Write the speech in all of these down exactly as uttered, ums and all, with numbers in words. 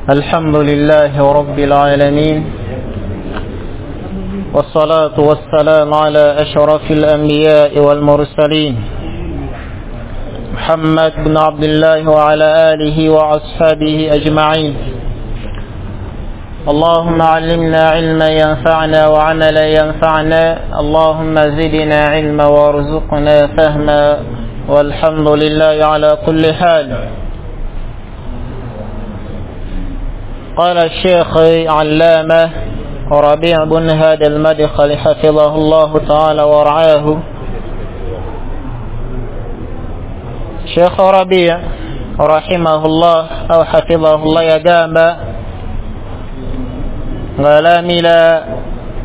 الحمد لله رب العالمين والصلاة والسلام على أشرف الأنبياء والمرسلين محمد بن عبد الله وعلى آله وأصحابه أجمعين. اللهم علمنا علما ينفعنا وعملا ينفعنا، اللهم زدنا علما وارزقنا فهما، والحمد لله على كل حال. قال الشيخ علامة ربيع بن هادي المدخل حفظه الله تعالى ورعاه. شيخ ربيع رحمه الله أو حفظه الله يقام غلاملا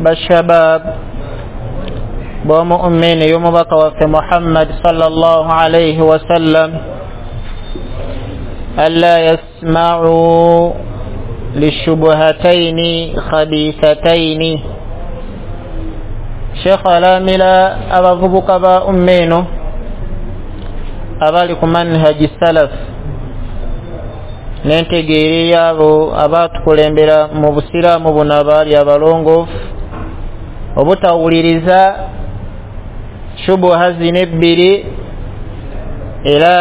بالشباب ومؤمن يوم بقى في محمد صلى الله عليه وسلم ألا يسمعوا للشبهتين خبيثتين. Sheikh alamila abavubuka ba ummeno abali ku manhaji salaf n'entegeera yaabo abatukulembera mu busiraamu buno abaali abalongoofu obutawuliriza shubuha zino ebbiri era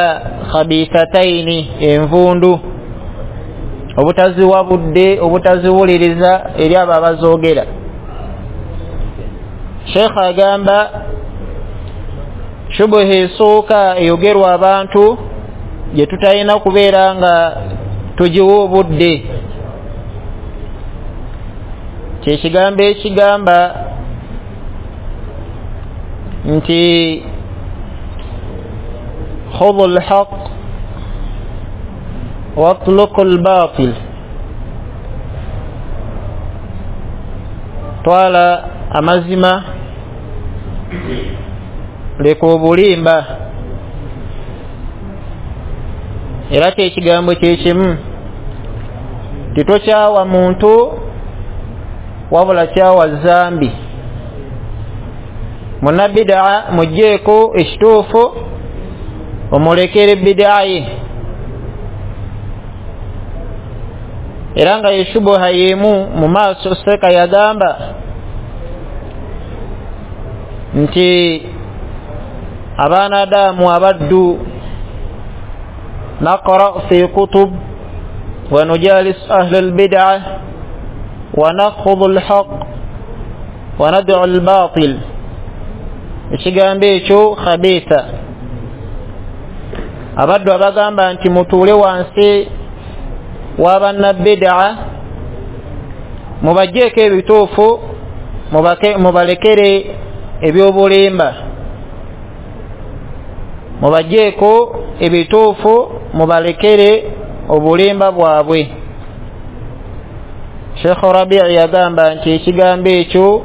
khabithataini envundu, obutaziwa budde, obutaziwuliriza eri abo abazoogera. Sheikh agamba shubuha esooka eyogerwa abantu gye tutalina kubeera nga tugiwa obudde, kyekigambo ekigamba nti khudhu lhaq watluku lbatil, twala amazima leka obulimba. Era kyekigambo kyekimu titokyawa muntu wabula kyawa zambi. Munnabidaa mugjeeko ekituufu omulekere bidaa ye. Era nga yeshubuha yemu mu maaso seka yagamba nti abaana adamu abaddu naqra fi kutub wa nujalis ahli albid'a wa nakhudhu alhaq wa nad'u albatil. Ekigambo ekyo khabitha. Abaddu abagamba nti mutuule wansi wabannabbidaa mubajjeeko ebituufu mubalekere ebyobulimba, mubajjeeko ebituufu mubalekere obulimba bwabwe. Sheikh Rabi' yagamba nti ekigambo ekyo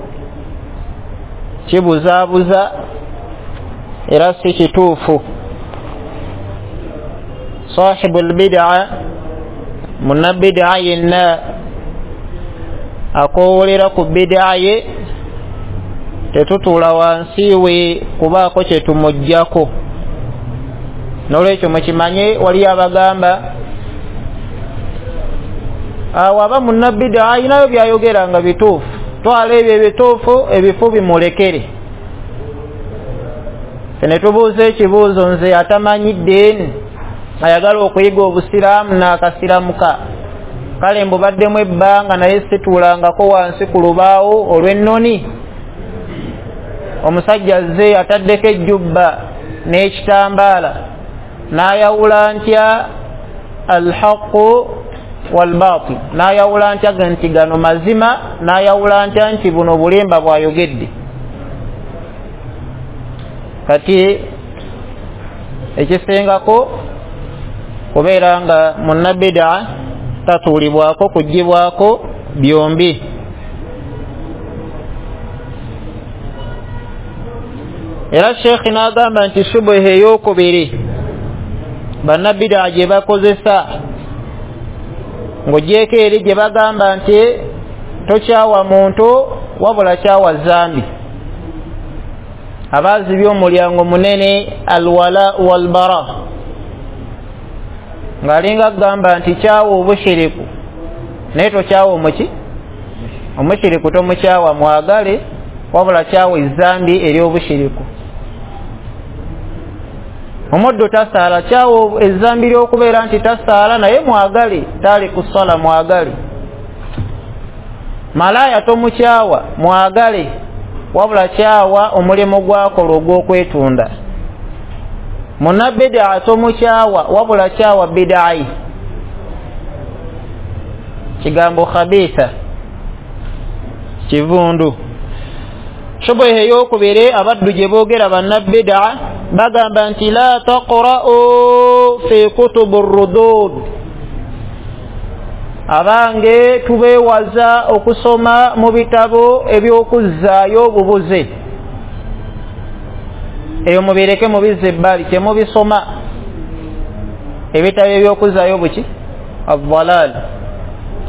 kibuzaabuza era si kituufu. Sahibu lbidaa, munnabidaa yenna akoowolera ku bidaa ye tetutuula wansi we kubaako kye tumuggyako. N'olwekyo mukimanye waliyo abagamba awo aba munnabidaa ayinayo byayogera nga bituufu, twala ebyo ebituufu ebifu bimulekere. Ffe ne tubuuza ekibuuzo, nze atamanyi ddiini ayagala okuyiga obusiraamu n'akasiramuka, kale mbubaddemu ebbanga naye situulangako wansi ku lubaawo olw'ennoni, omusajja azze ataddeko ejjubba n'ekitambaala n'ayawula ntya alhaqu walbatil, n'ayawula ntya nti gano mazima, n'ayawula ntya nti buno bulimba bw'ayogedde. Kati ekisingako kubeera nga munnabidaa tatuulibwako kuggyibwako byombi. Era Sheikh n'agamba nti shubuha ey'okubiri bannabidaa gye bakozesa ng'ogyeko eri gye bagamba nti tokyawa muntu wabula kyawa zambi, abaazibye omulyango munene alwala walbara, ng'alinga agamba nti kyawa obushiriku Naye tokyawa omuki omushiriku tomukyawa, mwagale, wabula kyawa ezambi ery'obushiriku. Omuddu tasaala, kyawa ezambi ly'okubeera nti tasaala, naye mwagale, tali kusala mwagale. Malaya tomukyawa, mwagale, wabula kyawa omulimu gwakola ogw'okwetunda. Munnabidaa tomukyawa, wabula kyawa bidaayi. Kigambo khabitha, kivundu. Shubuha ey'okubiri abaddu gye boogera bannabidaa bagamba nti la taqra'u fi kutubu rudud, abange tubeewaza okusoma mu bitabo eby'okuzzaayo obubuze. Eyo mubireke mubizze ebbali, temubisoma ebitabo eby'okuzzaayo buki adhalal,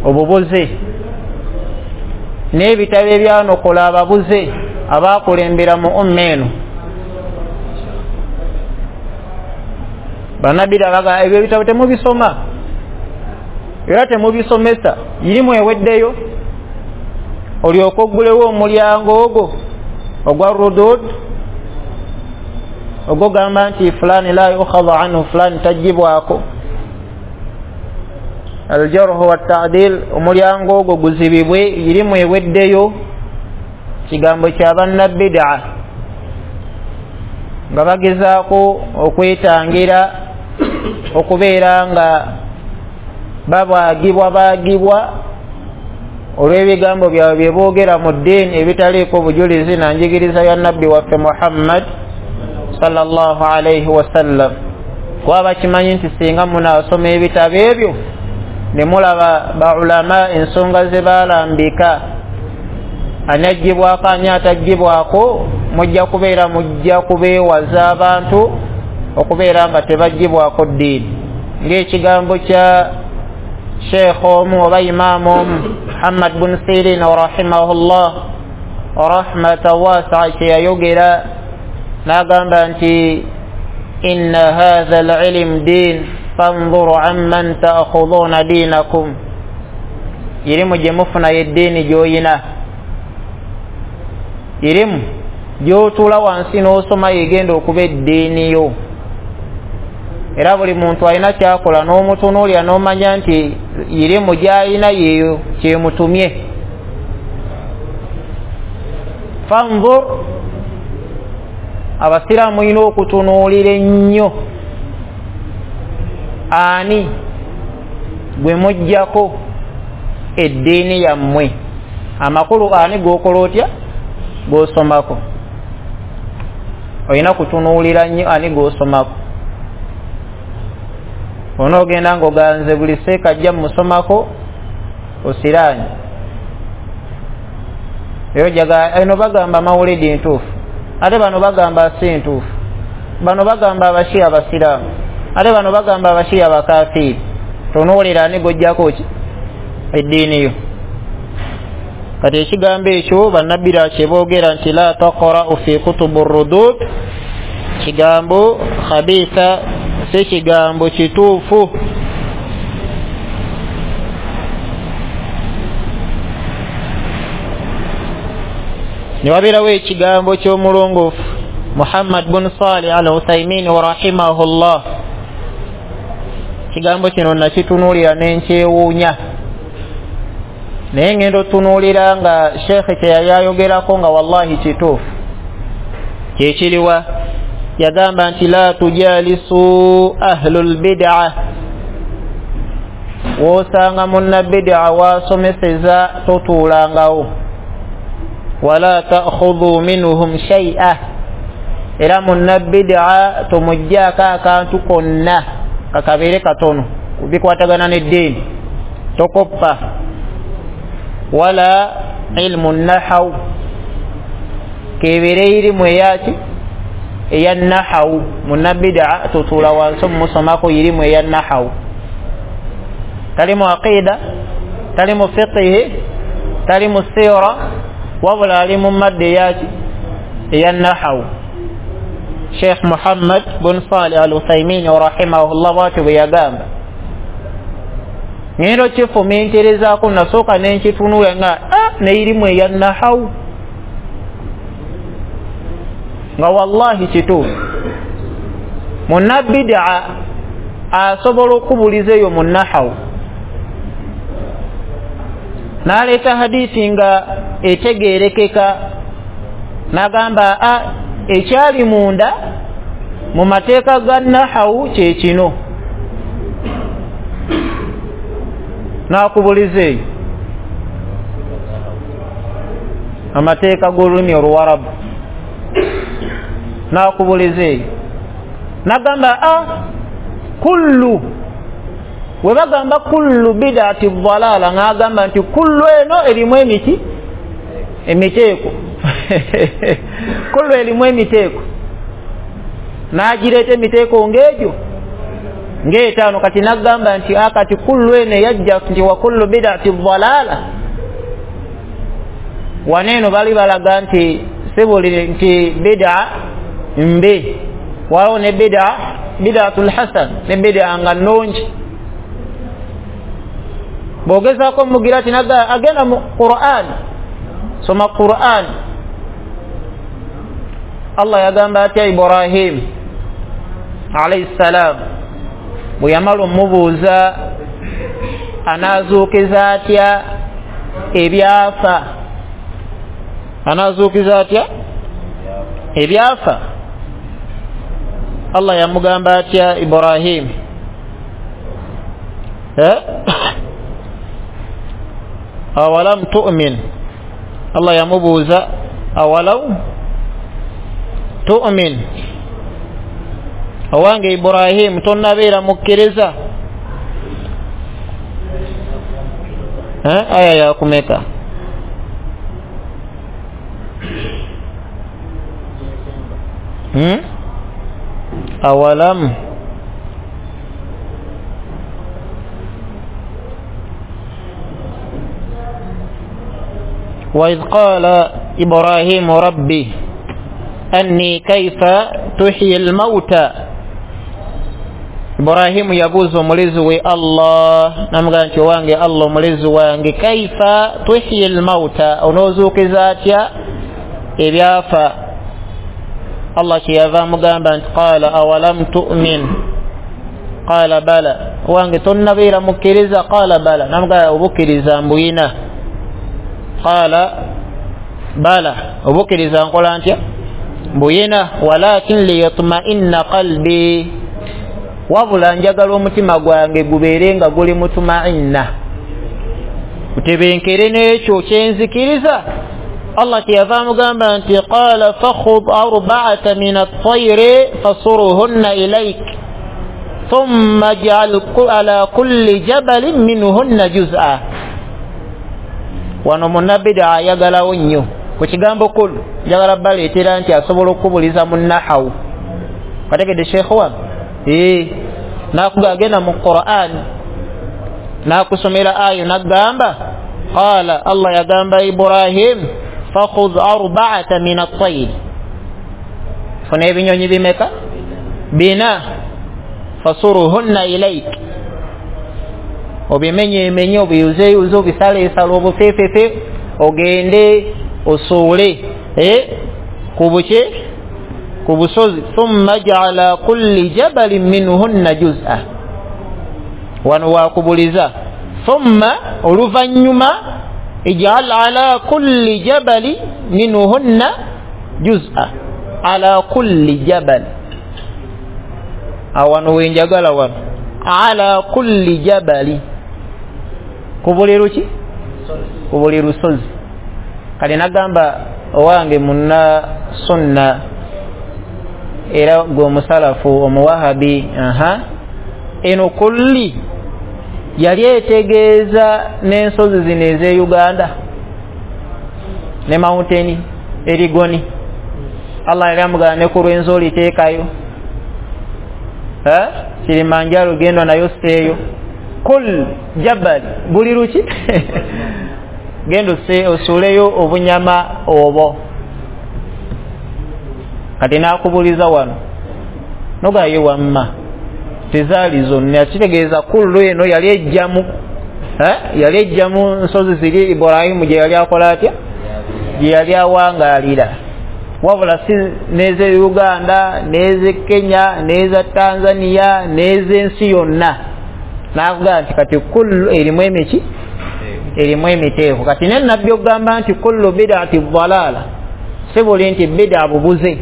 obubuze, n'ebitabo ebyanokola ababuze abakulembera mu umma eno. Bannabira baga ebyo ebitabo temubisoma era temubisomesa, irimu eweddeyo olyoka oggulewo omulyango ogwo ogwa rudud, ogwo gamba nti fulani la yukhadhu anhu, fulani tajjibwako. Aljarhu wattadil, omulyango ogwo guzibibwe, irimu eweddeyo. Kigambo kya bannabidaa nga bagezaako okwetangira okubeera nga babaagibwa baagibwa olw'ebigambo byabwe bye boogera mu ddiini ebitaliiko bujulizi na njigiriza ya nabbi waffe Muhammad sallallahu alaihi wasallam. Kuba bakimanyi nti singa munaasoma ebitabo ebyo ne mulaba baulama ensonga ze baalambika, ani aggyibwako ani ataggyibwako, mujja kubeera mujja kubeewaza abantu okubeera nga tebaggyibwako ddiini. Ng'ekigambo kya sheikh omu oba imaamu omu Muhammad bun Sirin rahimahullah rahmatan wasi'a kye yayogera n'agamba nti inna hadha al-ilm din fanzuru amman ta'khudhuna dinakum, irimu gye mufuna y'eddiini gy'oyina, irimu gy'otuula wansi n'osoma yegenda okuba eddiini yo. Era buli muntu alina kyakola n'omutunuulira n'omanya nti irimu gy'alina yeeyo kyemutumye. Fanzur, abasiraamu mulina okutunuulira ennyo ani gwe muggyako eddiini yammwe. Amakulu ani g'okola otya g'osomako, olina kutunuulira nnyo ani g'osomako. Onoogenda ng'oganze buli seeka ajja mumusomako osiraanye. Eyo jaga eno bagamba mawulidi ntuufu, ate bano bagamba si ntuufu, bano bagamba abashia abasiraamu, ate bano bagamba abashia abakafiiri. Tunuulira ani g'oggyako ki eddiini yo. Kati ekigambo ekyo bannabbira kye boogera nti la taqra'u fi kutubu rudud, kigambo khabitha, si kigambo kituufu. Ne wabeerawo ekigambo ky'omulongoofu Muhammad bun Salih al Uthaymin rahimahullah. Kigambo kino nakitunuulira nenkyewuunya, naye ngenda otunuulira nga sheekhe kye yali ayogerako nga wallahi kituufu. Kyekiriwa yagamba nti la tujalisu ahlul bid'a, wosanga munnabidaa wasomeseza totuulangawo, wala ta'khudhu minhum shay'a, era munnabidaa tomuggyako akantu konna kakabeere katono bikwatagana n'eddiini, tokoppa. Wala ilmu nahaw, kebeere irimu eyaki eya nahaw, munnabidaa totuula wansi omumusomako irimu eya nahaw. Tali mu aqida, tali mu fiqihi, tali mu sira, wabula ali mu madda eyaki eya nahaw. Sheikh Muhammad bun Salih al Uthaymin rahimahullah bwatyo bwe yagamba. Ngendo kifuminterezaako, nasooka nenkitunula nga ah, neirimu eya nahawu, nga wallahi kituufu. Munnabidaa asobola okubuliza eyo mu nahawu, n'aleeta hadisi nga etegeerekeka, n'agamba a ekyali munda mu mateeka ga nahawu kye kino, n'akubuliza eyo amateeka g'olulimi Oluwarabu, n'akubuliza eyo n'agamba a kullu, we bagamba kullu bid'ati dhalala, ng'agamba nti kullu eno erimu emiti emiteeko kullu erimu emiteeko, n'agireeta emiteeko ng'egyo ng'etaano. Kati n'agamba nti akati kullu eno eyajja nti wa kullu bid'ati dhalala, waneeno bali balaga nti si buli nti bid'a mbi, waliwo ne bid'a bid'atul hasan ne bid'a nga nnungi. Bw'ogezaako omugira ti naga agenda mu Qur'an, soma Qur'an. Allah yagamba atya Ibrahim alayhi salam bwe yamala omubuuza anaazuukiza atya ebyafa, anaazuukiza atya ebyafa. Allah yamugamba atya Ibrahim, eh? Awalam tu'min, Allah yamubuuza awalau tu'min, owange Ibrahim tonnabeera mukkiriza? Eh, aya yakumeka hmm? Awalam وإذ قال إبراهيم ربي أني كيف تحيي الموتى. Ibrahimu yabuuza omulezi we Allah, namugamba nti owange Allah omulezi wange, kaifa tuhyi almauta, onoozuukiza atya ebyafa? Allah kyeyava amugamba nti qala awalam tu'min, qala bala, owange tonnabeera mukkiriza? Qala bala, namugamba obukkiriza mbuyina. Qala bala, obukkiriza nkola ntya? Mbuyina. Walakin liyatma'inna qalbi, wabula njagala omutima gwange gubeere nga guli mutuma'inna, gutebenkere n'ekyo kyenzikiriza. Allah kyeyava amugamba nti qala fakhudh arba'ata min at-tayri fasuruhunna ilayk thumma ij'al ala kulli jabalin minhunna juz'a. Wano munnabida ayagalawo nnyo ku kigambo kullu, njagala baleetera nti asobola okubuliza mu nahawu. Kategedde sheekh wange? Eh, nakuga agenda mu Qur'an nakusomera ayo nagamba qala, Allah yagamba Ibrahim fakhudh arba'ata min at-tayr, funa ebinyonyi bimeka? Bina. Fasuruhunna ilayk, obimenye emenye, obiyuzeyuze, obisaleesale, obufefefe, ogende osuule eh, ku buki ku busozi. Thumma ja'ala kulli jabalin minhunna juz'a, wano wakubuliza thumma oluvannyuma ij'al ala kulli jabali minhunna juz'a, ala kulli jabal, awano wenjagala wano ala kulli jabali, ku buli luki? Ku buli lusozi. Kale nagamba owange munna sunna era gwe omusalafu omuwahabi, aha, eno kulli yali etegeeza n'ensozi zino ez'e Uganda ne mountain erigoni. Allah yali amugamba ne ku Rwenzori teekayo, eh, Kilimanjaro genda nayo seeyo, kul jabal buli luki genda osuuleyo obunyama obwo. Kati n'akubuliza wano nogaye wamma tezaali zonna, kitegeeza kullu eno yali ejjamu Eh, yali ejja mu nsozi ziri Ibrahimu gye yali akola atya, gye yali awangaalira, wabula si n'eze Uganda n'eze Kenya n'eza Tanzania n'ez'ensi yonna. N'avuga nti kati kullu erimu emiki, erimu emiteeko. Kati ne nabbi okugamba nti kullu bid'ati dhalala, si buli nti bid'a bubuze,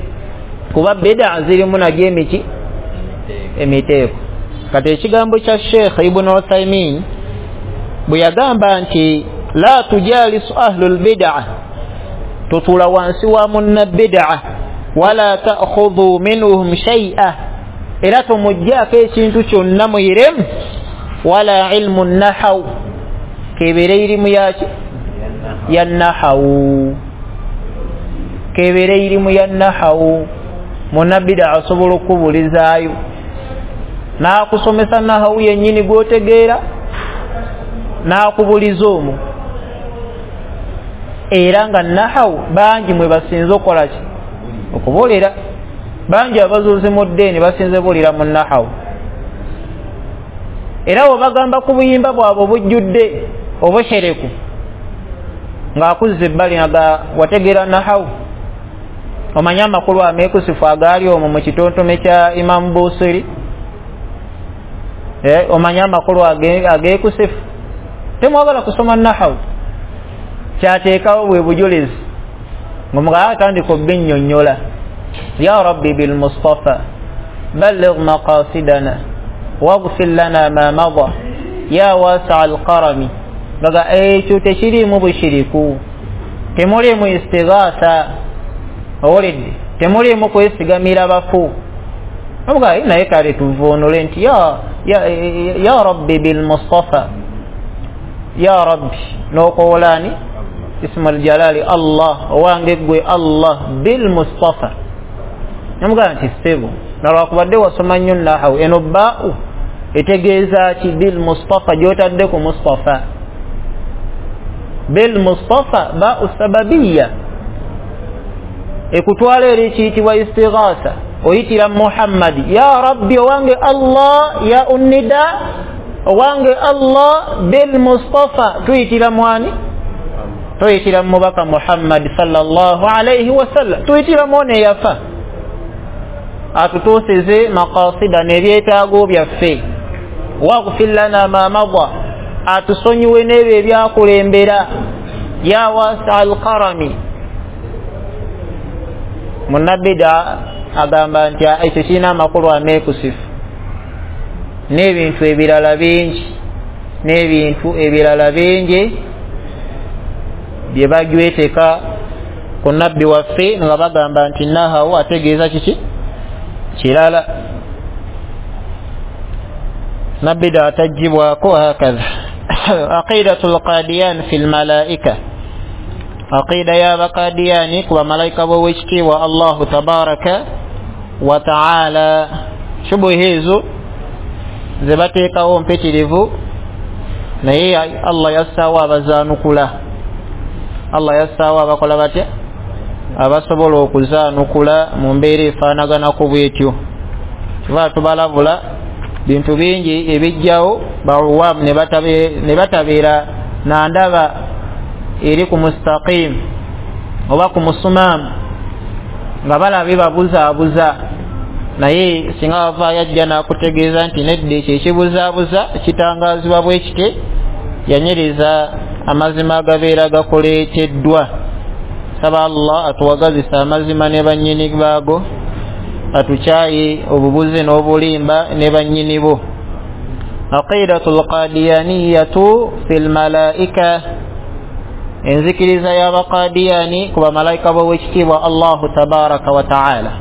kuba bid'a zirimu nagyo emiki, emiteeko. Kati ekigambo kya Sheikh Ibn Uthaymin bwe yagamba nti la tujalisu ahlul bid'a, tutuula wansi wa munna bid'a, wala ta'khudhu minhum shay'a, era tomuggyako ekintu kyonna muyiremu, wala ilmu nahaw, kebeere irimu yaki ya nahawu, kebeere irimu ya nahawu. Munna bid'a asobola okukubulizaayo n'akusomesa nahawu yennyini gw'otegeera, n'akubuliza omwo. Era nga nahawu bangi mwe basinze okukola ki, okubulira. Bangi abazuuzi mu ddiini basinze bulira mu nahawu. Era bwe bagamba ku buyimba bwabwe obujjudde obushereku, ng'akuzza ebbali nga wategeera nahawu, omanye amakulu ameekusifu agaali omwo mu kitontome kya Imamu Busiri, eh, omanye amakulu ageekusifu. Temwagala kusoma nahawu, kyateekawo bwe bujulizi ng'omugala atandika obbinnyonnyola. Ya rabbi bil mustafa balligh maqasidana waghfir lana ma mada ya wasi'a alqarami. Ngaga ekyo tekiriimu bushiriku, temuliimu istighatha, owulidde, temuliimu kwesigamira bafu. Omugaa naye kale tuvuunule nti ya, ya, ya rabbi bil mustafa, ya rabbi n'okowola ismu aljalali Allah, owange gwe Allah, bil mustafa. Namugamba nti ssebo, nalwakubadde wasoma nnyo nahawu, eno baa'u etegeeza ki? Bil mustafa, gy'otadde ku mustafa. Bil mustafa baa'u sababiya, ekutwala eri ekiyitibwa istighatha, oyitira Muhammadi. Ya rabbi, owange Allah, ya unnida, owange Allah, bil mustafa, tuyitira mwani, tuyitira mubaka Muhammad sallallahu alayhi wasallam, tuyitira mwone yafa atutuusize maqasida n'ebyetaago byaffe, waghfir lana ma mada, atusonyiwe n'ebyo ebyakulembera, ya wasi'a alqarami. Munnabida agamba nti ekyo kirina amakulu ameekusifu n'ebintu ebirala bingi, n'ebintu ebirala bingi bye bajweteka ku nabbi waffe nga bagamba nti nahawu ategeeza kiki kirala. Nabida atajjibwako hakadha. Aqidatul qadiyan fil malaika, aqida y'abakadiyani ku bamalayika b'owekitiibwa Allahu tabaraka wa taala. Shubuhi ezo ze bateekawo mpitirivu, naye Allah yassaawo abazaanukula, Allah yassaawo abakola batya, abasobola okuzaanukula mu mbeera efaanaganako bwetyo. Kiba tubalabula bintu bingi ebijjawo bawaamu ne batabeera nandaba eri ku mustaqim oba ku musumaamu, nga balabye babuzaabuza, naye singa bavaayo ajja n'akutegeeza nti nedda ekyo ekibuzaabuza kitangaazibwa bwe kite, yanyiriza amazima agabeera gakuleeteddwa. Saba Allah atuwagazise amazima ne bannyini baago, atukyaye obubuze n'obulimba ne bannyini bo. Aqidatul qadiyaniyatu fil malaika, enzikiriza y'abaqadiyani ku bamalayika b'owekitiibwa Allahu tabaraka wa taala.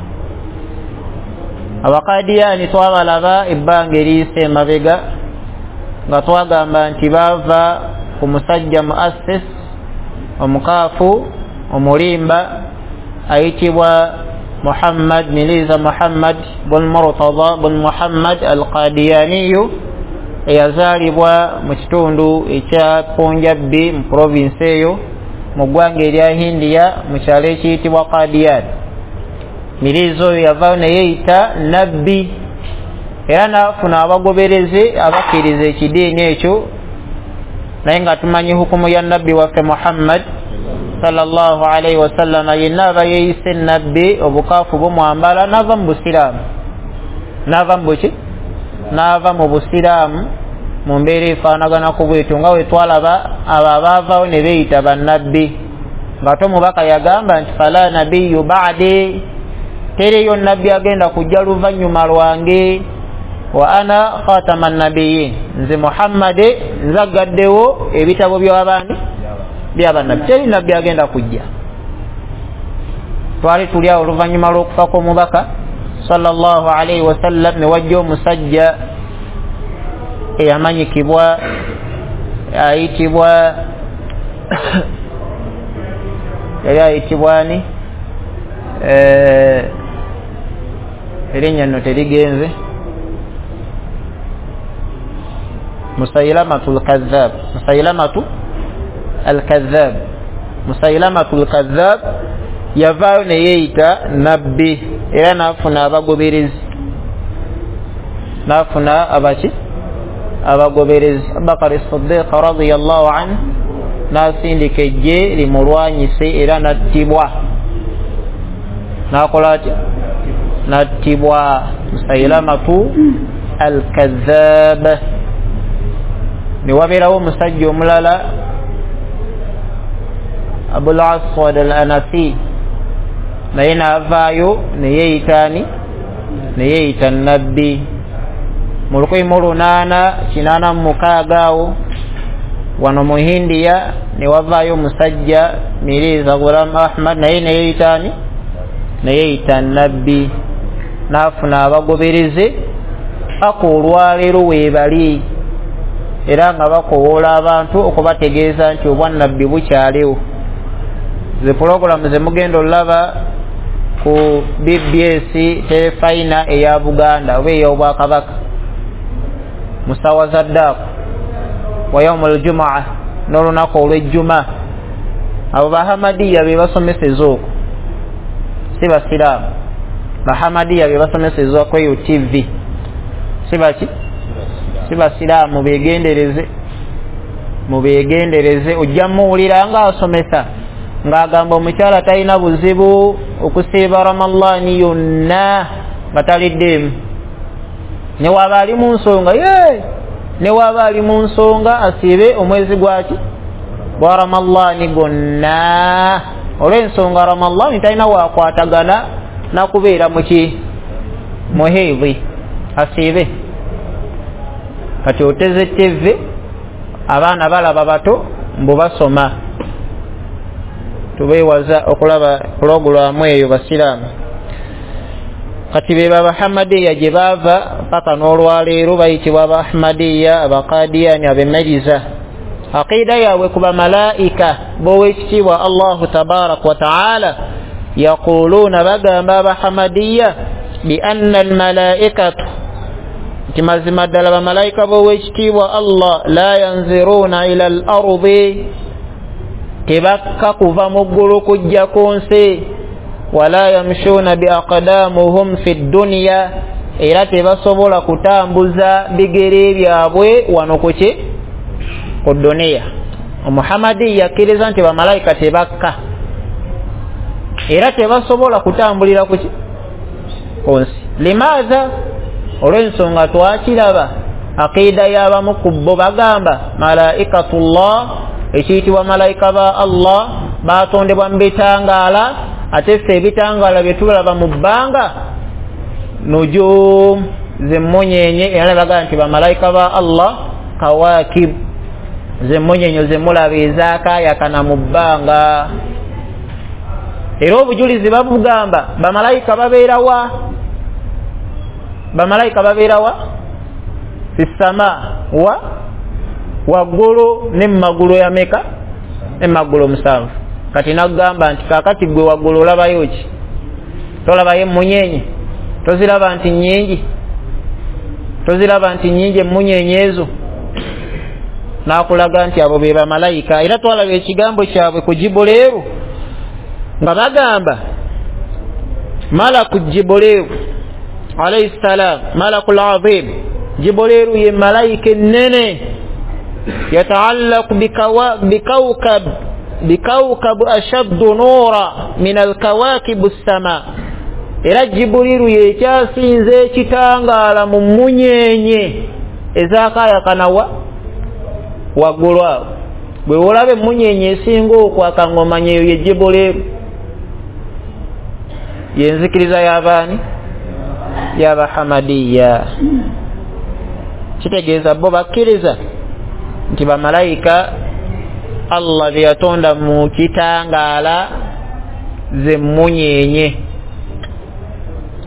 Abaqadiyani twabalaba ebbanga eriyise emabega nga twagamba nti baava ku musajja muassis omukaafu omulimba ayitibwa Muhammad Miliza Muhammad bun Murtada bun Muhammad al-Qadiyaniyu, eyazaalibwa mu kitundu ekya Punjabi mu provinsi eyo mu ggwanga erya Hindiya mu kyalo ekiyitibwa Qadiyan. Miliza oyo yavaayo ne yeeyita nabbi, era n'afuna abagoberezi abakkiriza ekidiini ekyo Naye nga tumanyi hukumu ya nabbi waffe Muhammad sallallahu alaihi wasallam, yenna aba yeeyise nabbi obukaafu bumwambala n'ava mu busiraamu, n'ava mu buki, n'ava mu busiraamu mu mbeera efaanagana ku bwetyo nga we twalaba abo abaavaawo ne beeyita bannabbi, ng'ate omubaka yagamba nti fala nabiyyu ba'di, teriyo nabbi agenda kujja luvannyuma lwange, wa ana khatama nabiyyin, nze Muhammad nzagaddewo ebitabo by'abaani by'abannabbi, teri nabbi agenda kujja. Twali tuli awo oluvannyuma lw'okufa kw'omubaka sallallahu alaihi wasallam, ne wajja omusajja eyamanyikibwa ayitibwa yali ayitibwa ani, erinnya nno terigenze, Musaylamatu al-Kadhab, Musaylamatu al-Kadhab, Musaylamatu al-Kadhab yavaayo ne yeeyita nabbi era n'afuna abagoberezi, n'afuna abaki abagoberezi. Abubakar as-Siddiq radiyallahu anhu n'asindika eggye limulwanyise era n'attibwa, n'akola atya, n'attibwa Musaylamatu al-Kadhab. Ne wabeerawo omusajja omulala Abul Aswad al-Anasi, naye n'avaayo ne yeeyita ani, ne yeeyita nabbi mu lukumi mu lunaana kinaana mu mukaaga awo wano mu Hindiya ne wavaayo omusajja Mirza Ghulam Ahmad, naye ne yeeyita ani, ne yeeyita nabbi, n'afuna abagoberezi paka olwaleero weebali, era nga bakowoola abantu okubategeeza nti obwannabbi bukyaliwo. Ze pulogulaamu ze mugenda olaba ku B B S terefayina eya Buganda oba ey'Obwakabaka mu ssaawa za ddaaku wa yaumul jumaa, n'olunaku olw'ejjuma, abo Bahamadiya be basomeseza okwo, si basiraamu. Bahamadiya be basomeseza ku eyo T V, si baki, si basiraamu. Beegendereze, mubeegendereze. Ojja muwulira ng'asomesa ng'agamba omukyala talina buzibu okusiiba Ramadaani yonna nga taliddeemu, ne waaba ali mu nsonga ye, ne waaba ali mu nsonga asiibe omwezi gwaki gwa Ramadaani gwonna, olw'ensonga Ramadaani talina waakwatagana nakubeera muki muheevi, asiibe. Kati oteze T V, abaana balaba bato mbu basoma, tubeewaza okulaba pulogulaamu eyo basiraamu. Kati be Bahamadiya gye baava paka n'olwaleero bayitibwa Abahmadiya, Abaqadiyani, Abemeriza. Aqida yaabwe ku bamalaika b'oweekitiibwa Allahu tabaraka wa taala, yaquluuna, bagamba Abahamadiya bi anna almalaikatu, nti mazima ddala bamalayika b'oweekitiibwa Allah la yanziruuna ila al ardi, tebakka kuva mu ggulu kujja ku nsi, wala yamshuuna bi aqdamuhum fi dunya, era tebasobola kutambuza bigere byabwe wano kuki ku duniya. Omuhamadi yakkiriza nti bamalayika tebakka era tebasobola kutambulira kuki ku nsi. Limaza? Olw'ensonga twakiraba aqida y'abamu ku bo bagamba malaikatullah, ekiyitibwa malayika ba Allah batondebwa mu bitangaala, ate ffe ebitangaala bye tulaba mu bbanga nujum, zemmunyenye, era bagamba nti bamalayika ba Allah kawakib, zemmunyenye zemulaba ezaakaayakana mu bbanga. Era obujulizi babugamba bamalayika babeera wa, bamalayika babeera wa fissama, wa waggulu ne mu ya meka, ne mu musanvu. Kati nagamba nti kaakati gwe waggulu olabayo ki? Tolabayo emmunyenye? Toziraba nti nnyingi? Toziraba nti nnyingi emmunyenye ezo? N'akulaga nti abo be bamalayika. Era twalaba ekigambo kyabwe ku Jibuleeru nga bagamba malaku Jibuleeru alayhi salam, malakul azim, Jibuleeru ye malayika ennene Yataallaqu bikawkab bikawkabu ashaddu nuura min alkawakibu ssama. Era Jibuliru yekyasinze ekitangaala mu mmunyenye ezakayakanawa waggulu awo. Bwe olaba emmunyenye esinga okwaka ng'omanya eyo ye Jibuliru. Yenzikiriza y'abaani? Y'abahamadiya. Kitegeeza bo bakkiriza nti bamalayika Allah bye yatonda mu kitangaala ze mmunyenye.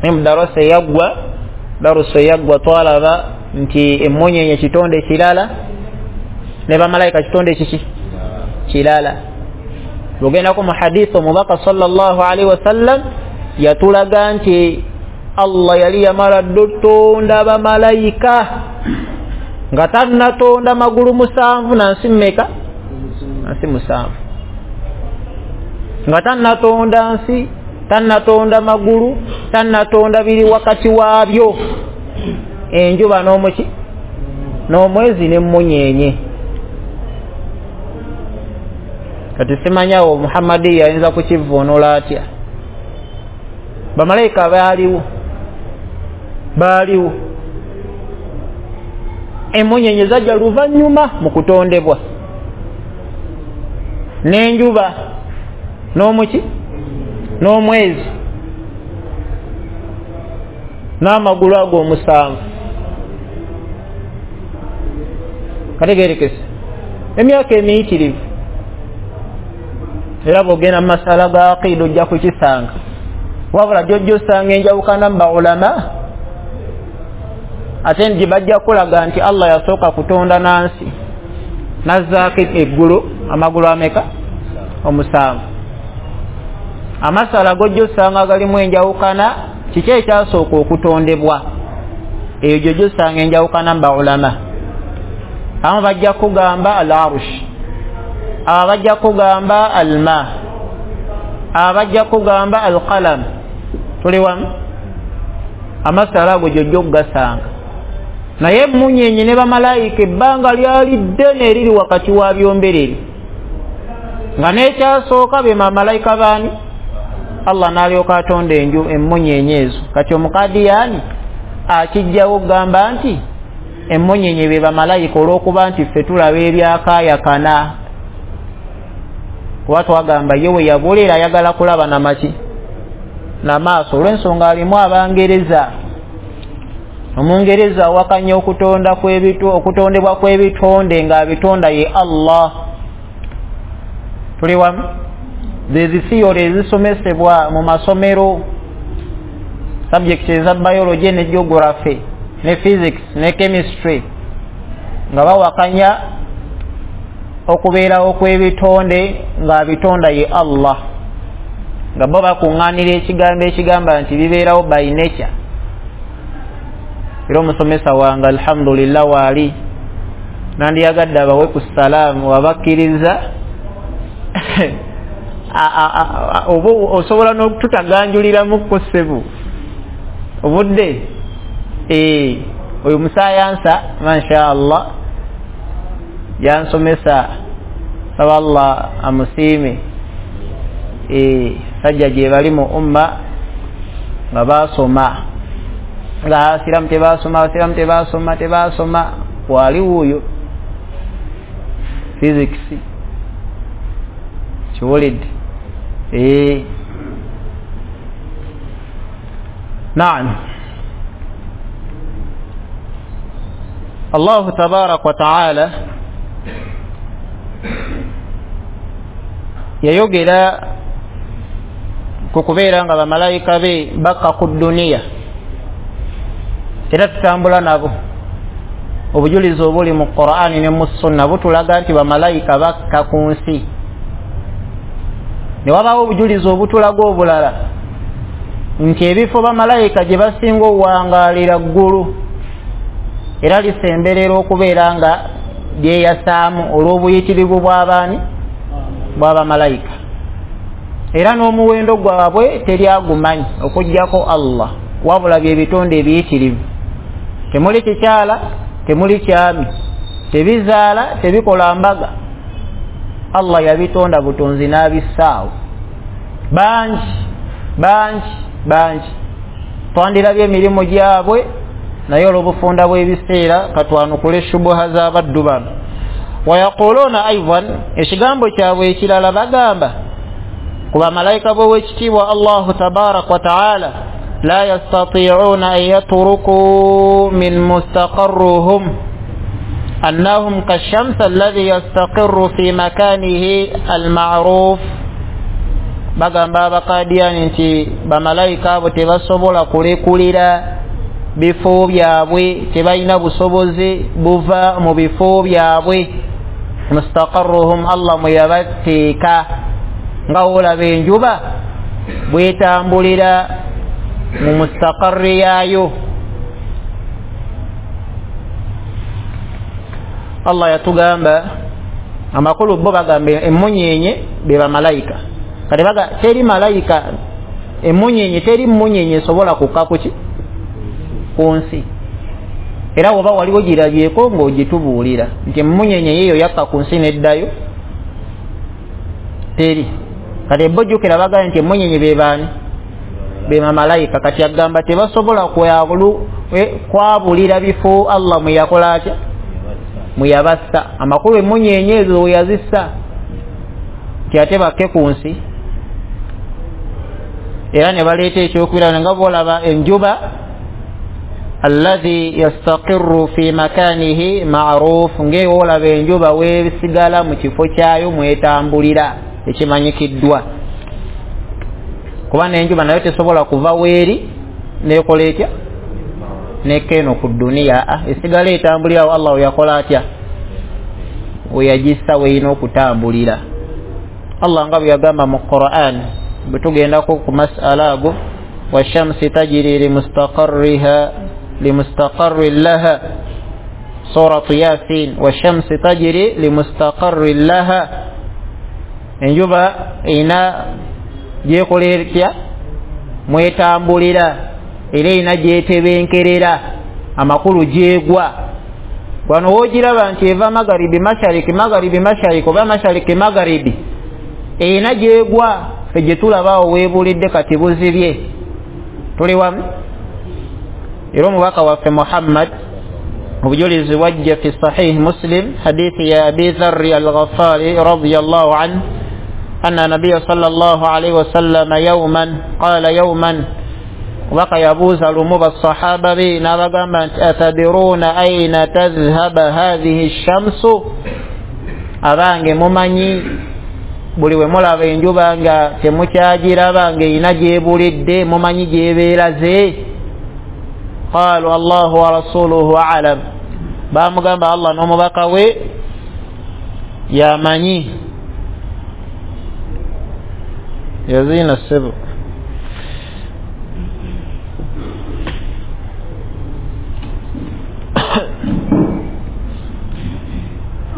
Naye mu darusa eyaggwa, darusa eyaggwa twalaba nti emmunyenye kitonde kirala ne bamalayika kitonde kiki? Kirala. Bw'ogendako mu hadith omubaka sallallahu alaihi wasallam yatulaga nti Allah yali yamala dda okutonda bamalayika nga tannatonda magulu musanvu na nsi mmeka? Nsi musanvu. Nga tannatonda nsi, tannatonda magulu, tannatonda biri wakati waabyo, enjuba n'omuki n'omwezi n'emmunyenye. Kati simanyawo Muhammadi yayinza kukivvuunula atya? Bamalayika baaliwo, baaliwo. Emmunyenye zajja luvannyuma mu kutondebwa, n'enjuba n'omuki n'omwezi n'amagulu ago omusanvu. Kategerekese emyaka emiyitirivu. Era bw'ogenda mu masala ga aqiida ojja kukisanga. Wabula gy'ojja osanga enjawukana mu baulama, ate nti bajja kulaga nti Allah yasooka kutonda nansi n'azzaako eggulu amagulu ameka? Omusanvu. Amasala g'ojja osanga galimu enjawukana, kiki ekyasooka okutondebwa? Eyo gy'ojja osanga enjawukana mu baulama. Abamu bajja kugamba al-arush, aba bajja kugamba alma, aba bajja kugamba alqalam. Tuli wamu? Amasala ago gy'ojja okugasanga. Naye emmunyenye ne bamalayika ebbanga lyali ddene eriri wakati wa byombereri, nga n'ekyasooka be bamalayika baani? Allah n'alyoka atonda enju emmunyenye ezo. Kati omukadiyaani akijjawo okugamba nti emmunyenye be bamalayika olw'okuba nti ffe tulaba ebyakaayakana. Kuba twagamba ye we yabulira ayagala kulaba namaki namaaso, olw'ensonga alimu Abangereza. Omungereza awakanya okutonda kw'ebitu okutondebwa kw'ebitonde ng'abitonda ye Allah. Tuli wamu? Zezi theory ezisomesebwa mu masomero, subjects eza biology ne geography ne physics ne chemistry, nga bawakanya okubeerawo kw'ebitonde ng'abitonda ye Allah, nga bo bakuŋŋaanira ekigambo ekigamba nti bibeerawo by nature. Era omusomesa wange alhamdulillah waali nandiyagadde abawe ku salaamu wabakkiriza. Oba osobola n'okututaganjuliramu ku ssebo obudde. Oyo musayansa masha Allah yansomesa, saba Allah amusiime. Sajja gye bali mu umma nga baasoma, nga abasiraamu tebaasoma, abasiraamu tebaasoma, tebaasoma. Wali wuuyo physics kiwulidde. Naam. Allahu tabaraka wa taala yayogera ku kubeera nga bamalayika be bakka ku dduniya, era tutambula nabo. Obujulizi obuli mu Qur'ani ne mu Sunna butulaga nti bamalayika bakka ku nsi. Ne wabaawo obujulizi obutulaga obulala nti ebifo bamalayika gye basinga okuwangaalira ggulu, era lisemberera okubeera nga lyeyasaamu olw'obuyitirivu bw'abaani bw'abamalayika. Era n'omuwendo gwabwe teryagumanyi okuggyako Allah, wabula bye bitonde ebiyitirivu. Temuli kikyala, temuli kyami. Tebizaala, tebikola mbaga. Allah yabitonda butonzi n'abissaawo. Bangi bangi bangi twandirabye emirimu gyabwe, naye olw'obufunda bw'ebiseera katwanukule shubuha z'abaddu bano. Wayaquluuna aidan, ekigambo kyabwe ekirala bagamba ku bamalayika b'owekitiibwa Allahu tabaraka wa taala, la yastati'una an yatruku min mustaqarruhum annahum kashamsi alladhi yastaqirru fi makanihi almaruf. Bagamba abakadiyani nti bamalayika abo tebasobola kulekulira bifo byabwe, tebalina busobozi buva mu bifo byabwe. Mustaqarruhum, Allah mwe yabateeka, nga olaba enjuba bwetambulira mu mustaqarri yaayo. Allah yatugamba amakulu, bo bagamba emmunyenye be bamalayika. Kati baga teri malayika emmunyenye, teri mmunyenye esobola kukka kuki ku nsi. Era woba waliwo girabyeko ng'ogitubuulira nti emmunyenye yeeyo yakka ku nsi neddayo, teri. Kati bo jjukira bagamba nti emmunyenye be baani? Be bamalayika. Kati agamba tebasobola kwabulira bifo Allah mwe yakola atya, mwe yabassa. Amakulu emmunyenye ezo we yazissa nti ate bakke ku nsi. Era ne baleeta ekyokulabirako nga bw'olaba enjuba alladhi yastaqirru fi makanihi ma'ruf, ng'olaba enjuba weesigala mu kifo kyayo mwetambulira ekimanyikiddwa. Kuba n'enjuba nayo tesobola kuva weeri neekola etya nekka eno ku dduniya, esigala etambulira Allah we yakola atya, we yagissa weerina okutambulira. Allah nga bwe yagamba mu Qur'an, bwe tugendako ku mas'ala ago, washamsi tajri limustaqarriha limustaqarrin laha, suratu Yasin, washamsi tajri limustaqarrin laha. Enjuba erina gyekola etya, mwetambulira, era erina gyetebenkerera, amakulu gyegwa. Wano woogiraba nti eva magaribi mashariki, magaribi mashariki, oba mashariki magaribi, erina gyegwa. Ffe gye tulaba awo weebulidde kati buzibye. Tuli wamu? Era omubaka waffe Muhammad obujulizi bwajja fi sahih Muslim, hadithi ya Abi Dharri al-Ghafari radiyallahu anhu, anna nabiyya sallallahu alayhi wasallam yawman qala yawman, omubaka yabuuza lumu basahaba be n'abagamba nti atadiruna aina tadhhaba hadhihi shamsu, abange mumanyi buli we mulaba enjuba nga temukyagiraba ng'erina gyebulidde, mumanyi gyebeeraze? Qalu Allahu wa rasuluhu a'lam. Bamugamba Allah n'omubaka we yamanyi. Yazina ssebo.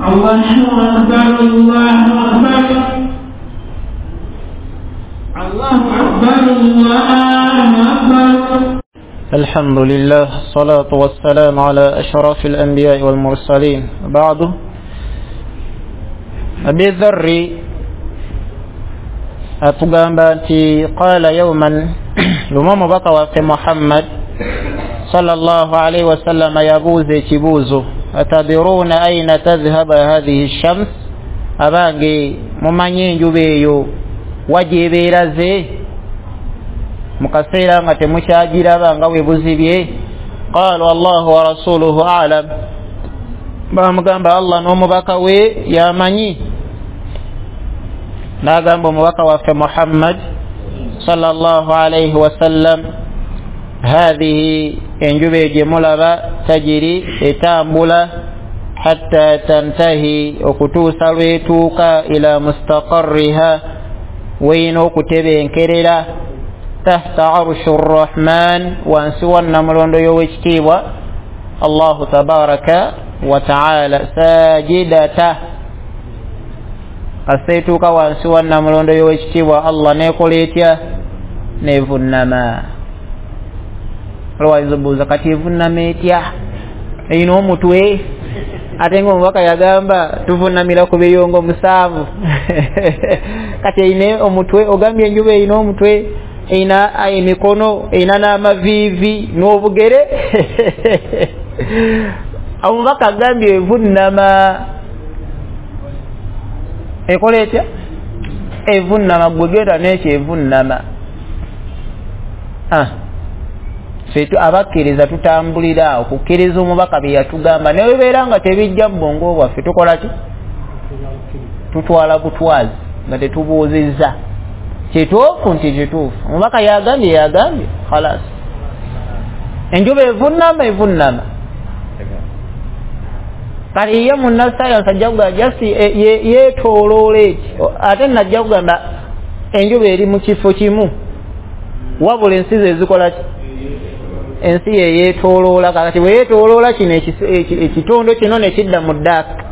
Allahu akbar, Allahu akbar, Allahu akbar, Allahu akbar. الحمد لله، الصلاة والسلام على أشرف الأنبياء والمرسلين، بعد. أبي ذر atugamba nti qala yawman, lumu omubaka waffe Muhammad sallallahu alayhi wasallam yabuuza ekibuuzo, atadiruna aina tadhhaba hadhihi shams, abange mumanyi enjuba eyo wa gyebeeraze mu kaseera nga temukyagiraba nga bwe buzibye? Qalu Allahu wa rasuluhu a'lam. Bamugamba Allah n'omubaka we yamanyi. N'agamba omubaka waffe Muhammad sallallahu alayhi wasallam, hadhihi, enjuba eyo gye mulaba, tajiri, etambula, hatta tantahi, okutuusa lwetuuka, ila mustaqarriha, weerina okutebenkerera, tahta arshi rrahman, wansi wa nnamulondo y'owekitiibwa Allahu tabaraka wa taala, sajidata. Kasita etuuka wansi wa nnamulondo y'owekitiibwa Allah neekola etya? Neevunnama. Olwayinza obuuza kati evunnama etya? Erina omutwe? Ate nga omubaka yagamba tuvunamira ku biyongo musanvu. Kati eine omutwe, ogambye enjuba erina omutwe, erina emikono, erina n'amaviivi n'obugere. Omubaka agambye evunnama. Ekola etya? Evunnama. Gwe genda n'ekyo evunnama. Ah, ffe abakkiriza tutambulira awo kukkiriza omubaka bye yatugamba, naye beera nga tebijja mu bwongo bwaffe tukola ki? Tutwala butwazi nga tetubuuzizza. Kituufu nti kituufu, omubaka yagambye yagambye, khalas. Enjuba evunnama evunnama. Kale ye munnasayansi ajja kugamba jasi yeetooloola eki, ate najja kugamba enjuba eri mu kifo kimu, wabula ensi ze zikola ki? Ensi ye yeetooloola. Kakati bwe yeetooloola kino ekitondo kino ne kidda mu ddaaka,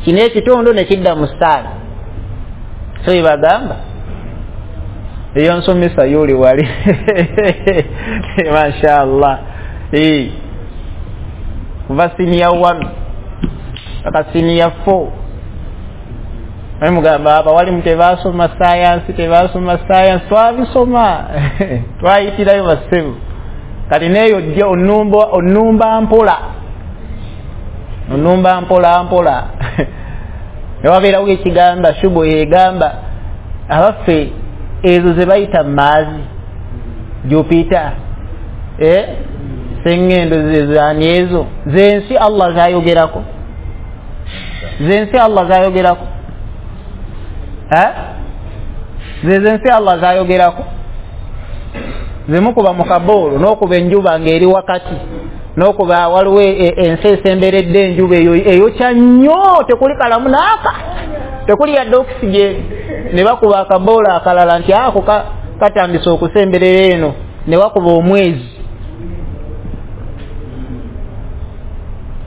kino ekitondo ne kidda mu ssaala. So ebagamba eyo nsomesa yoli wali. Mashallah. Eh, kuva senior one paka senior four. Naye mugamba abawalimu tebasoma science, tebasoma science, twabisoma. Twayitirayo bassebo. Kati neeyo ojja onumba onumba mpola, onumba mpola mpola. Newabeerawo ekigamba shubo yegamba abaffe ezo ze bayita maazi Jupiter, eh sengendo zani ezo zensi Allah zayogerako, zensi Allah zayogerako, eh zensi Allah zayogerako. Zimukuba mu kaboolo n'okuba enjuba ng'eri wakati, n'okuba waliwo ensi esemberedde enjuba eyo eyokya nnyo, tekuli kalamu n'aka, tekuli yadde oxygen. Ne bakuba akaboolo akalala nti ako katandise okusemberera eno, ne bakuba omwezi.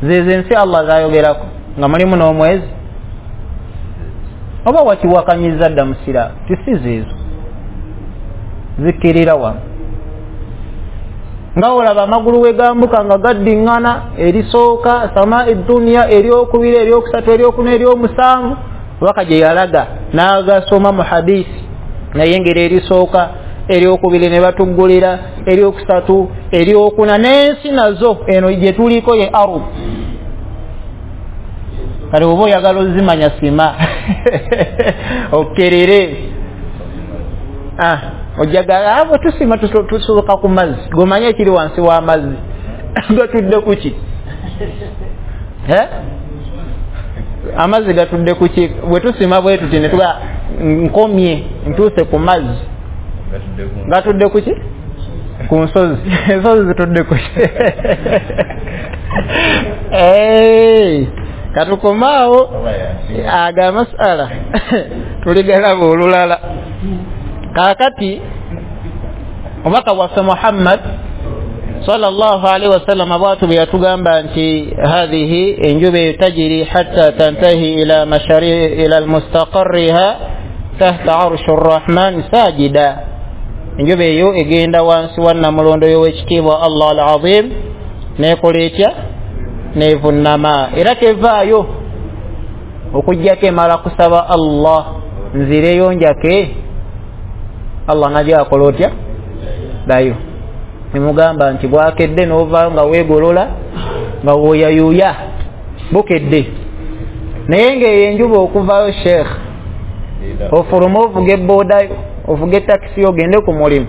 Zezo ensi Allah zayogerako nga mulimu n'omwezi. Oba wakiwakanyiza dda musiraamu, tisi zeezo zikkirira wano. Nga olaba amagulu we gambuka nga gaddiŋŋana, erisooka sama eduniya, eryokubiri, eryokusatu, eryokuna, eryomusanvu, waka gye yalaga n'agasoma mu hadisi, naye ngeri erisooka, eryokubiri ne batuggulira, eryokusatu, eryokuna, n'ensi nazo eno gye tuliko ye arub. Kale oba oyagala ozimanya sima okkerere. Ah, ojagala abo tusima tusoboka ku mazzi, gomanye ekiri wansi w'amazzi gatudde kuki? Eh, amazzi gatudde kuki? Bwe tusima bwe tuti ne tuga nkomye ntuuse ku mazzi, gatudde kuki? Ku nsozi. Ensozi zitudde kuki? Eh, katukomaawo aga masala tuligalaba olulala. Kaakati omubaka waffe Muhammad sallallahu alaihi wasallam bwatu bwe yatugamba nti hadhihi enjuba tajiri hatta tantahi ila mashari ila almustaqarriha tahta arshi arrahman sajida. Enjuba eyo egenda wansi wa namulondo y'owekitiibwa Allah al-azim, nekola etya? Nevunnama. Era tevaayo okujjako emala kusaba Allah nzireyo njake. Allah najja akola otya? Dayo. Nemugamba nti bwakedde n'ovaayo nga weegolola nga woyayuya, bukedde. Naye ng'eyo enjuba okuvaayo sheikh, ofuluma ovuga eboodayo, ovuga etakisi ogende ku mulimu,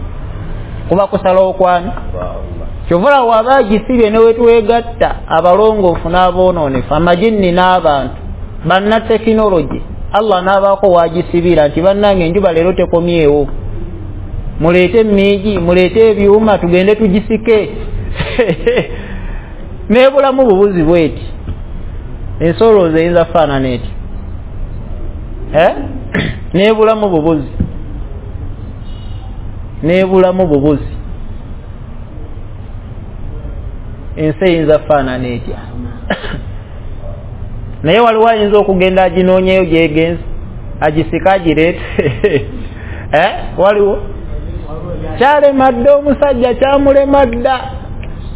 kuba kusalawo kwani. Kyovula waba agisibye ne wetwegatta abalongoofu n'aboonoonefu, amajinni n'abantu, bannatekinologi, Allah n'abaako wagisibira nti bannange enjuba leero tekomyewo, muleete emiigi, muleete ebyuma tugende tugisike. N'ebulamu bubuzi bweti, ensolooza eyinza kufaanana eti, eh n'ebulamu bubuzi, n'ebulamu bubuzi, ensi eyinza kufaanana etya? Naye waliwo ayinza okugenda aginoonyeyo gyegenze, agisika agireete. Eh, waliwo kyalema dda omusajja, kyamulema dda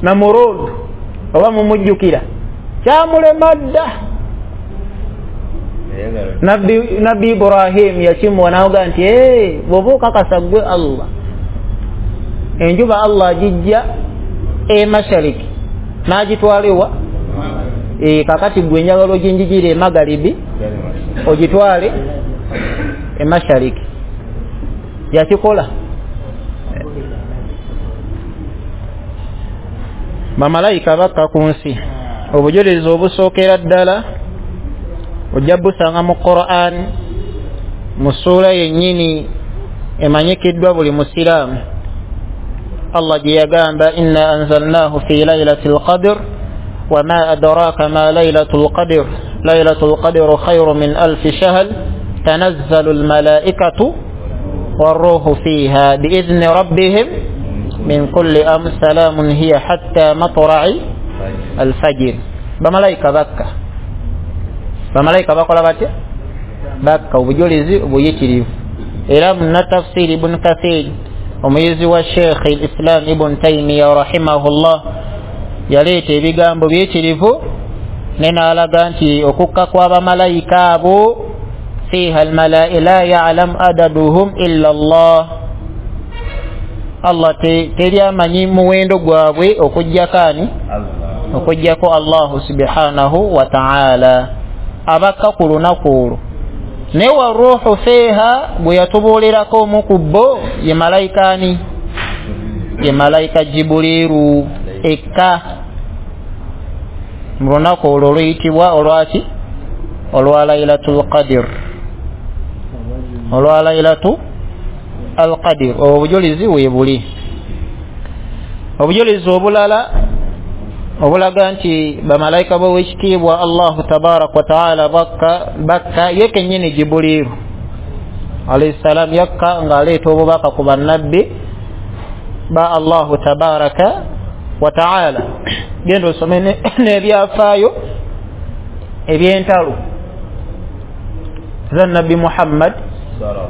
Namurod, oba mumujjukira, kyamulema dda. Nabbi Nabbi Ibrahim yakimuwa n'aga nti ee bw'oba okakasa ggwe Allah, enjuba Allah agijja e mashariki n'agitwala ewa e, kakati ggwe njagala oginjijire e magharibi ogitwale e mashariki. Yakikola. Bamalayika bakka ku nsi. Obujulizi obusookera ddala ojja busanga mu Qur'an, mu ssuula yennyini emanyikiddwa buli musiraamu. Allah gye yagamba inna anzalnahu fi laylatil qadr wa ma adraka ma laylatul qadr laylatul qadru khayru min alfi shahr tanazzalu almalaikatu warruhu fiha biidhni rabbihim min kulli amr salamun hiya hatta matra'i alfajr. Bamalayika bakka, bamalayika bakola batya? Bakka. Obujulizi obuyitirivu. Era munnatafsiri Ibn Kathir, omuyizi wa Sheikh al-Islam Ibn Taymiyyah rahimahullah, yaleeta ebigambo biyitirivu ne n'alaga nti okukka kw'abamalayika abo fiha almalaika la ya'lam adaduhum illa Allah, Allah teri amanyi muwendo gwabwe okuggyako ani? Okuggyako Allahu subhanahu wa ta'ala. Abakka ku lunaku olwo. Ne wa ruhu fiha bwe yatubuulirako omu ku bo ye malayika ani? Ye malayika Jibuliiru ekka mu lunaku olwo oluyitibwa olwaki? Olwa Laylatul Qadr, olwa Laylatu al-Qadr. Obujulizi weebuli. Obujulizi obulala obulaga nti bamalayika b'owekitiibwa Allahu tabaraka wa taala bakka bakka ye kennyini Jibuliiru alayhi salam yakka ng'aleeta obubaka ku bannabbi ba Allahu tabaraka wa taala. Genda osome n'ebyafaayo eby'entalo za Nabbi Muhammad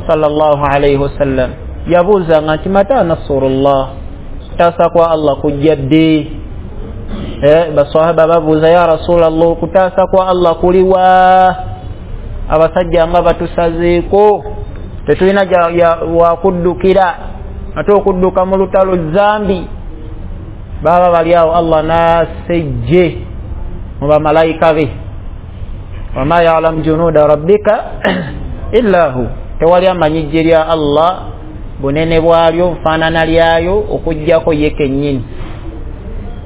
sallallahu alayhi wasallam. Yabuuzanga nti mata nasrullah, kutaasa kwa Allah kujja ddi? Eh, baswahaba babuuza ya Rasulallah, okutaasa kwa Allah kuliwa? Abasajja nga batusazeeko, tetulina wakuddukira, ate okudduka mu lutalo zambi. Baba bali awo Allah n'asejje mu bamalayika be, wama ya'lamu junuda rabbika illa hu, tewali amanyi ggye lya Allah bunene bwalyo nfaanana lyayo okuggyako ye kennyini.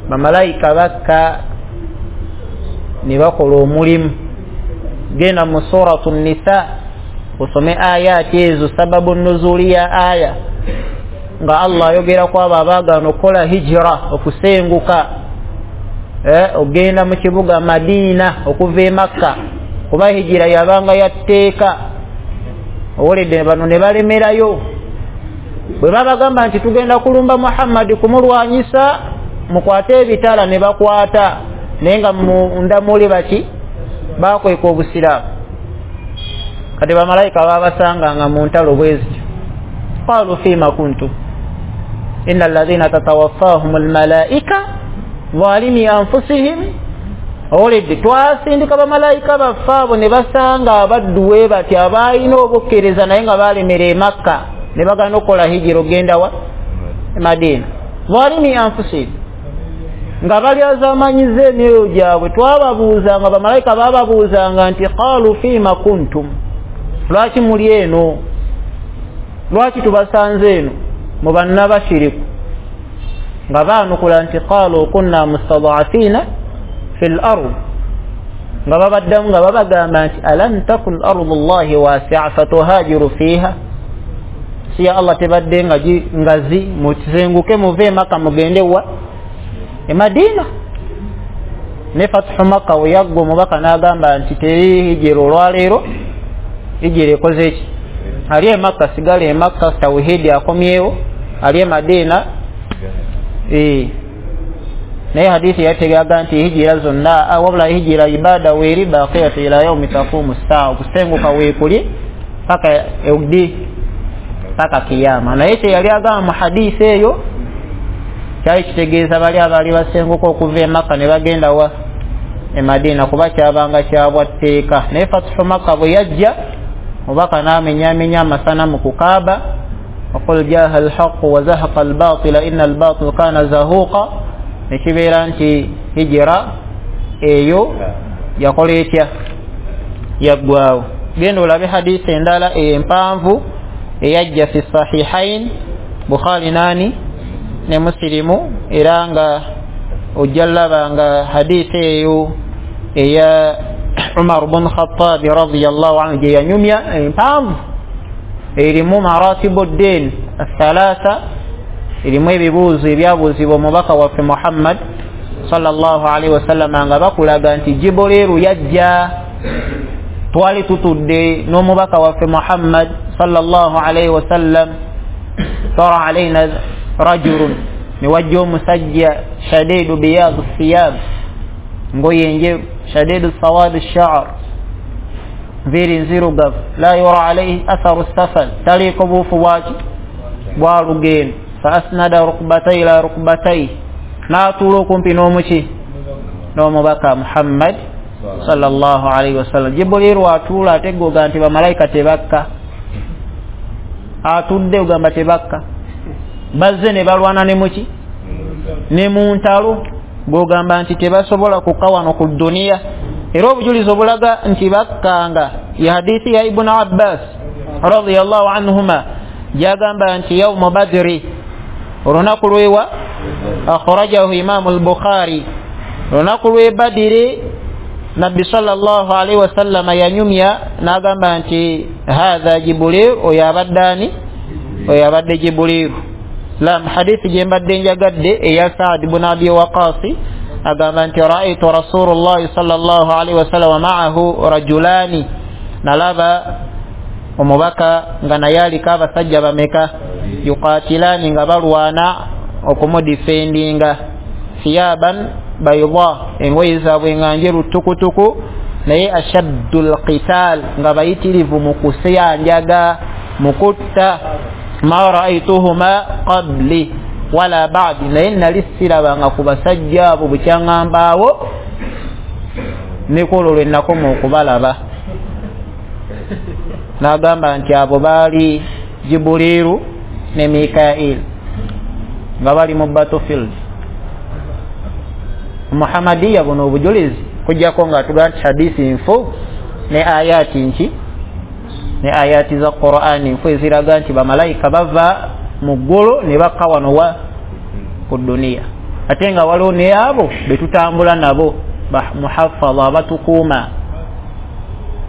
Bamalayika bakka ne bakola omulimu. Genda mu suratu Nisa osome ayati ezo, sababu nuzuli ya aya, nga Allah ayogera ku abo abaagaana okukola hijira, okusenguka eh, ogenda mu kibuga Madina okuva e Makka, kuba hijira yabanga yatteeka. Owulidde bano ne balemerayo. Bwe babagamba nti tugenda kulumba Muhammadi kumulwanyisa, mukwate ebitala, ne bakwata, naye nga munda muli baki bakweka obusiraamu. Kati bamalayika babasanganga mu ntalo bwe zityo. Qalu fima kuntum inna alladhina tatawaffahum almalaika zalimi anfusihim. Owulidde twasindika bamalayika baffe abo ne basanga abaddu we bati abalina obukkiriza naye nga balemera e Makka ne bagaana okukola hijira ogenda wa e Madina. Zalimi anfusihim, nga balyazamanyiza emyoyo gyabwe. Twababuuzanga, bamalayika bababuuzanga nti qalu fima kuntum, lwaki muli eno? Lwaki tubasanze eno mu bannabashiriku? Nga baanukula nti qalu kunna mustad'afina fil ard, nga babaddamu nga babagamba nti alam takun ardullahi wasi'a fatuhajiru fiha, si ya Allah tebadde nga ngazi, musenguke muve Makka mugende wa e Madina. Ne fathu Makka we yaggwa omubaka n'agamba nti teri hijira olwaleero, hijira ekoze ki? Ali e Makka sigala e Makka, tawhidi akomyewo, ali e Madina eh. Naye hadithi yategeaga nti hijira zonna, wabula hijira ibada weeri baqiyatu ila yaumi taqumu saa, okusenguka weekuli paka eudi paka kiyama. Naye kye yali agamba mu hadithi eyo kyali kitegeeza bali abaali basenguka okuva e Makka ne bagenda wa E Madina, kuba kyabanga kyabwatteeka. Naye Fathu Makka bwe yajja, mubaka n'amenyamenya amasanamu ku Kaaba, waqul jaha alhaqu wa zahaqa albatila inna albatila kana zahuqa, nekibeera nti hijira eyo yakola etya? Yaggwawo. Genda olabe hadisi endala empanvu eyajja fi sahihain, Bukhari nani ne Muslimu, era nga ojja laba nga hadisi eyo eya Umar bin Khattab radiyallahu anhu gye yanyumya empanvu, erimu maratibu ddin athalatha, erimu ebibuuzo ebyabuuzibwa omubaka waffe Muhammad sallallahu alaihi wasallam, nga bakulaga nti Jibuliru yajja, twali tutudde n'omubaka waffe Muhammad sallallahu alaihi wasallam, tara alaina rajulun, ne wajja omusajja shadidu biyadu thiyab, ngoye njeru, shadidu sawadu sha'r, nviiri nzirugavu, la yura alaihi atharu safar, taliiko buufu bwaki bwa lugendo, fa asnada rukbatai ila rukbatai, n'atuula okumpi n'omuki n'omubaka Muhammad sallallahu alaihi wasallam. Jibuliru atuula ate goga nti bamalayika tebakka, atudde ogamba tebakka, bazze ne balwana ne muki ne mu ntalo, gogamba nti tebasobola kukka wano ku duniya. Era obujulizi obulaga nti bakkanga ya hadithi ya Ibn Abbas radiyallahu anhuma, gyagamba nti yaumu Badri, olunaku lwewa, akhrajahu Imamu al-Bukhari, olunaku lwe Badiri, Nabbi sallallahu alaihi wasallam yanyumya n'agamba nti hadha Jibril, oyo abadde ani? Oyo abadde Jibril. Lam hadithi gye mbadde njagadde eya Saad ibn Abi Waqas, agamba nti ra'aytu Rasulullah sallallahu alaihi wasallam ma'ahu rajulani, nalaba omubaka nga naye aliko abasajja bameka, yuqatilani, nga balwana okumudifendinga, thiyaban bayda, engoye zaabwe nga njeru tukutuku, naye ashaddu lqital, nga bayitirivu mu kuseyanjaga, mu kutta, ma ra'aytuhuma qabli wala ba'di, naye nali sirabanga ku basajja abo bukyaŋŋambaawo ne kwolwo lwe nakoma okubalaba. N'agamba nti abo baali Jibuliru ne Mikail nga bali mu battlefield. Muhammadiya buno obujulizi kujjako nga tugamba nti hadisi nfu ne ayati nki ne ayati za Qur'ani nfu eziraga nti bamalayika bava mu ggulu ne bakka wano wa ku duniya, ate nga waliwo ne abo betutambula nabo muhafadha, abatukuuma,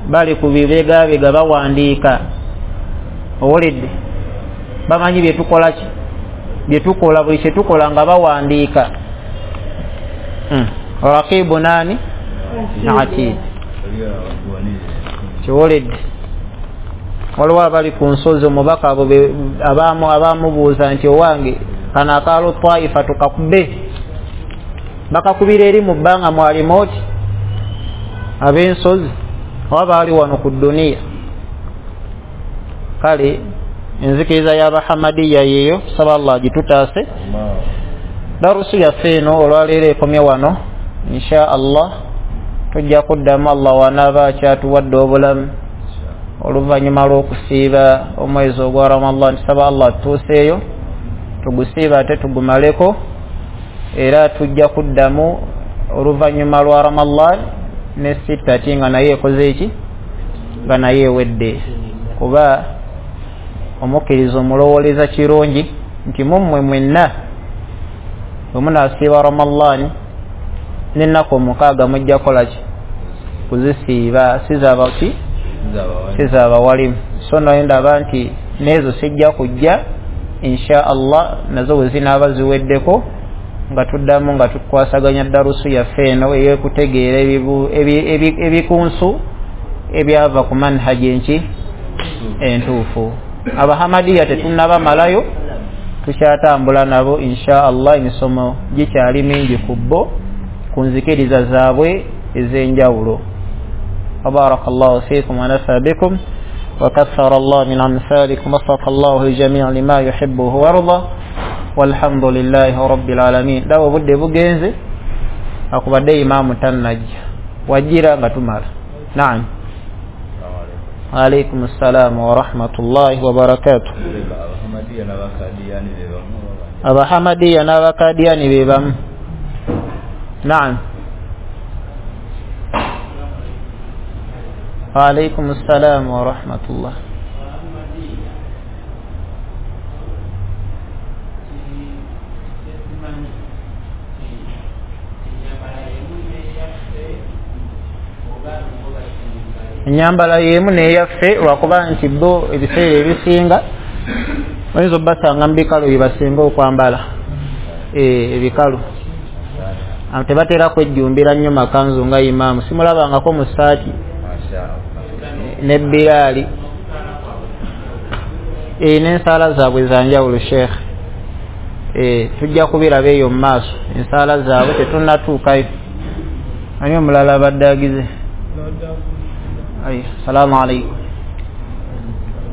bali ku bibegabega bawandiika, owulidde, bamanyi byetukola ki byetukola, buli kyetukola nga bawandiika. Mm. Raqibu nani atid, kiwulidde. Waliwo abali ku nsozi omubaka abo abamu abamubuuza nti owange kano akaalo Taifa tukakube, bakakubira eri mu bbanga mwalimu oti ab'ensozi oba baali wano ku duniya. Kale enzikiriza y'Abahamadiya yeeyo, saba Allah agitutaase. Darusu yaffe eno olwaleero ekomye wano, insha Allah tujja kuddamu Allah wanaaba akyatuwadde obulamu oluvannyuma lw'okusiiba omwezi ogwa Ramadan. Tusaba Allah tutuuseeyo tugusiiba ate tugumaleko, era tujja kuddamu oluvannyuma lwa Ramadan ne sittati nga naye ekoze eki nga naye ewedde, kuba omukkiriza omulowooleza kirungi nti mummwe mwenna bwe munaasiiba Ramadan n'ennaku omukaaga mujja kukola ki? Kuzisiiba, sizaaba ki? Sizaaba walimu. So naye ndaba nti n'ezo sijja kujja insha Allah, nazo bwe zinaaba ziweddeko nga tuddamu nga tukwasaganya darusu yaffe eno ey'okutegeera ebikunsu ebyava ku manhaji enki entuufu. Abahamadiya tetunnabamalayo, tukyatambula nabo insha Allah, emisomo gikyali mingi ku bo ku nzikiriza zaabwe ez'enjawulo. Barakallahu fiikum wa nafa bikum wa kathara Allah min amthalikum wa wafaqa Allahu al-jami' lima yuhibbuhu wa yarda walhamdulillahi rabbil alamin. Dawo obudde bugenze, akubadde imaamu tannajja. Wajira nga tumala. Naam. Alaykum assalam wa rahmatullahi wa barakatuh. Abahamadiya n'abakadiyani be bamu. Naam. Alaykum assalam wa rahmatullah. Enyambala yemu neyaffe lwakuba nti bo ebiseera ebisinga oyinza obbasanga mu bikalu bye basinga okwambala, ebikalu tebatera kwejjumbira nnyo makanzu nga imaamu, simulabangako mu ssaati ne biraali n'ensaala zaabwe za njawulo. Sheekh, tujja kubiraba eyo mu maaso, ensaala zaabwe tetunnatuukayo. Ani omulala abadde agize? Ay, salamu alaykum.